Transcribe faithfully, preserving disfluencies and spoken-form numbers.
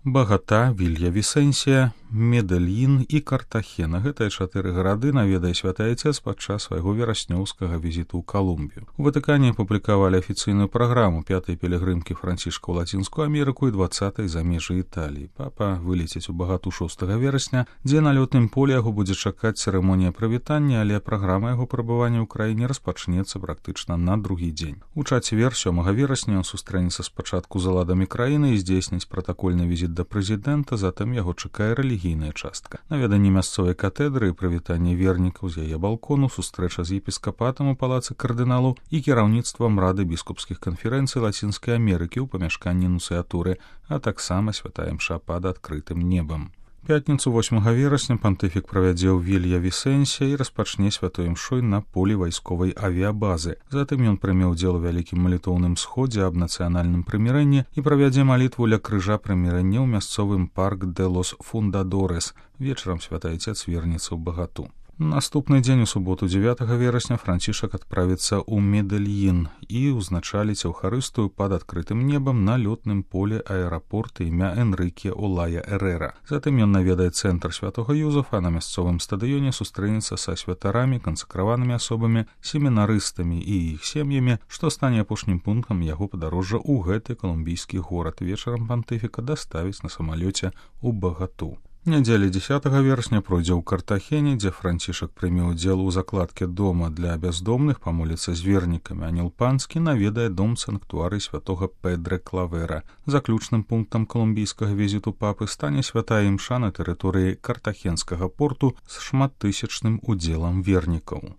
Багата, Вільявісенсія, Медельін і Картахена. Гэтыя чатыры гарады наведае святы Айцец падчас свайго вераснёўскага візіту ў Калумбію. У Ватыкане публікавалі афіцыйную праграму пятай пілігрымкі Францішка ў Лацінскую Амерыку і дваццатай за межы Італіі. Папа вылеціць у Багату шостага верасня, дзе на лётным полі яго будзе чакаць цырымонія прывітання, але праграма яго прабывання ў краіне распачнецца практычна на другі дзень. У чацвер сёмага верасня ён сустрэнецца спачатку з уладамі краіны і здзейсніць пратакольны візіт да прэзідэнта, затым яго чакае рэлігійная частка. Наведанне мясцовай катедры і прывітанне вернікаў з яе балкону, сустрэча з епіскапатам у палацы кардыналу і кіраўніцтвам Рады біскупскіх канферэнцый Лацінскай Амерыкі ў памяшканні нунцыятуры, а таксама святая імша пад адкрытым небам. Пятніцу восьмага верасня пантыфік правядзе ў Вільявісенсія і распачне святой імшой на полі вайсковай авіябазы. Затым ён прыме ўдзел у вялікім малітоўным сходзе аб нацыянальным прымірэнні і правядзе малітву ля крыжа прымірэння ў мясцовым парк де лос Фундадорес. Вечарам святы Айцец вернецца ў Багату. Наступны дзень у суботу дзевятага верасня Францішак адправіцца ў Медельін і ўзначаліць Еўхарыстыю пад адкрытым небам на лётным поле аэрапорта імя Энрыке Олая Эрера. Затым ён наведае цэнтр святога Юзафа, на мясцовым стадыёне сустрэнецца са святарамі, кансакраванымі асобамі, семінарыстамі і іх сем'ямі, што стане апошнім пунктам яго падарожжа ў гэты калумбійскі горад. Вечарам пантыфіка даставіць на самалёце ў Багату. Нядзеля дзесятага верасня пройдзе ў Картахене, дзе Францішак прыме ўдзел у закладке дома для бяздомных, памоліцца з вернікамі. Анёл Панскі наведае дом санктуарый святога Педре Клавера. Заключным пунктам калумбійскага візіту папы стане святая імша на тэрыторыі картахенскага порту з шматтысячным удзелам вернікаў.